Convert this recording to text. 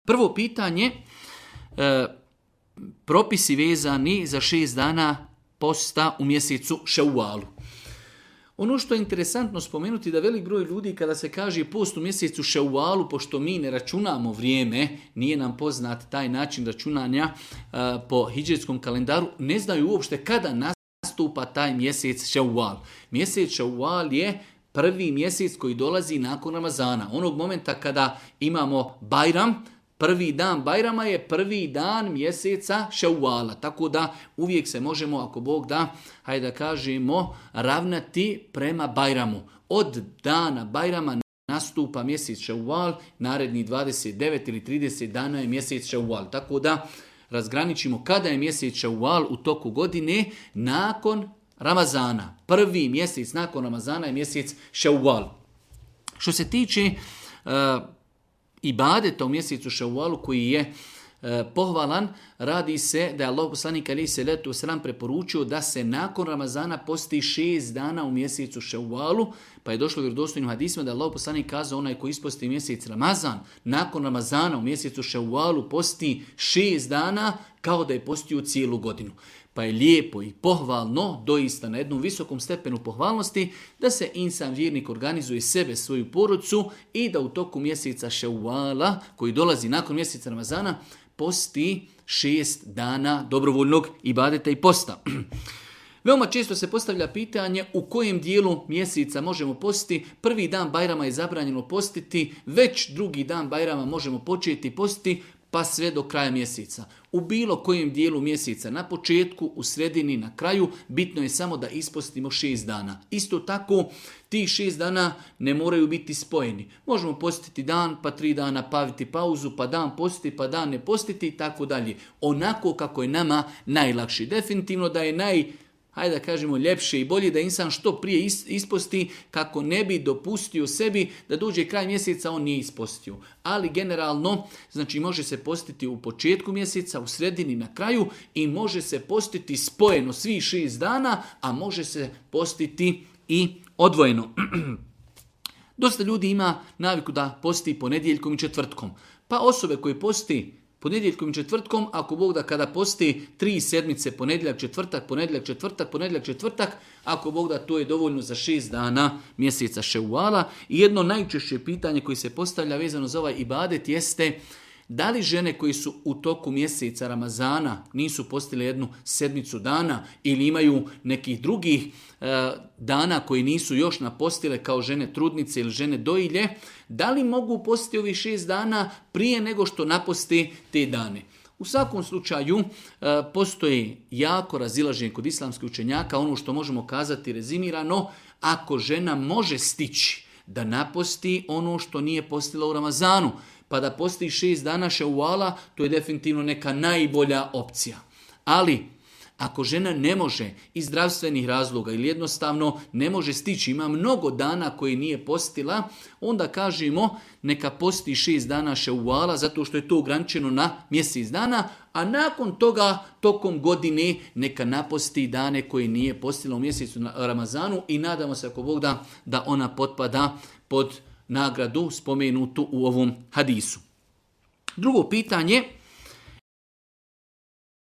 Prvo pitanje, propisi vezani za 6 dana posta u mjesecu Ševalu. Ono što je interesantno spomenuti da velik broj ljudi kada se kaže post u mjesecu Ševalu, pošto mi ne računamo vrijeme, nije nam poznat taj način računanja po hidžetskom kalendaru, ne znaju uopšte kada nastupa taj mjesec Ševal. Mjesec Ševal je prvi mjesec koji dolazi nakon Ramazana. Onog momenta kada imamo Bajram, prvi dan Bajrama je prvi dan mjeseca Ševala. Tako da uvijek se možemo, ako Bog da, hajde da kažemo, ravnati prema Bajramu. Od dana Bajrama nastupa mjesec Ševal, naredni 29 ili 30 dana je mjesec Ševal. Tako da razgraničimo kada je mjesec Ševal u toku godine nakon Ramazana. Prvi mjesec nakon Ramazana je mjesec Ševal. Što se tiče ibadeta u mjesecu Ševalu koji je pohvalan, radi se da je Allah poslanik alejhi selatu vesselam preporučio da se nakon Ramazana posti 6 dana u mjesecu Ševalu, pa je došlo u vjerodostojnim hadisima da je Allah poslanik kazao onaj koji isposti mjesec Ramazan, nakon Ramazana u mjesecu Ševalu posti 6 dana kao da je postio cijelu godinu. Pa je lijepo i pohvalno, doista na jednom visokom stepenu pohvalnosti, da se insan vjernik organizuje sebe, svoju porodcu i da u toku mjeseca Ševala, koji dolazi nakon mjeseca Ramazana, posti 6 dana dobrovoljnog ibadeta i posta. Veoma često se postavlja pitanje u kojem dijelu mjeseca možemo postiti. Prvi dan Bajrama je zabranjeno postiti, već drugi dan Bajrama možemo početi postiti, pa sve do kraja mjeseca. U bilo kojem dijelu mjeseca, na početku, u sredini, na kraju, bitno je samo da ispostimo 6 dana. Isto tako, tih 6 dana ne moraju biti spojeni. Možemo postiti dan, pa 3 dana paviti pauzu, pa dan postiti, pa dan ne postiti i tako dalje. Onako kako je nama najlakši. Definitivno da je hajde da kažemo, ljepše i bolje da insan što prije isposti kako ne bi dopustio sebi da dođe kraj mjeseca, on nije ispostio. Ali generalno, znači može se postiti u početku mjeseca, u sredini, na kraju i može se postiti spojeno svih 6 dana, a može se postiti i odvojeno. Dosta ljudi ima naviku da posti ponedjeljkom i četvrtkom. Pa osobe koje posti ponedjeljkom i četvrtkom, ako Bog da kada posti 3 sedmice, ponedjeljak, četvrtak, ako Bog da to je dovoljno za 6 dana mjeseca Ševala. I jedno najčešće pitanje koje se postavlja vezano za ovaj ibadet jeste da li žene koji su u toku mjeseca Ramazana nisu postile jednu sedmicu dana ili imaju nekih drugih dana koji nisu još napostile kao žene trudnice ili žene dojilje, da li mogu postiti ovih 6 dana prije nego što naposte te dane? U svakom slučaju postoji jako razilaženje kod islamskih učenjaka. Ono što možemo kazati rezimirano, ako žena može stići da naposti ono što nije postila u Ramazanu, pa da posti 6 dana Ševala, to je definitivno neka najbolja opcija. Ali, ako žena ne može iz zdravstvenih razloga ili jednostavno ne može stići, ima mnogo dana koje nije postila, onda kažemo neka posti 6 dana Ševala zato što je to ograničeno na mjesec dana, a nakon toga tokom godine neka naposti dane koje nije postila u mjesecu Ramazanu i nadamo se ako Bog da ona potpada pod nagradu spomenutu u ovom hadisu. Drugo pitanje,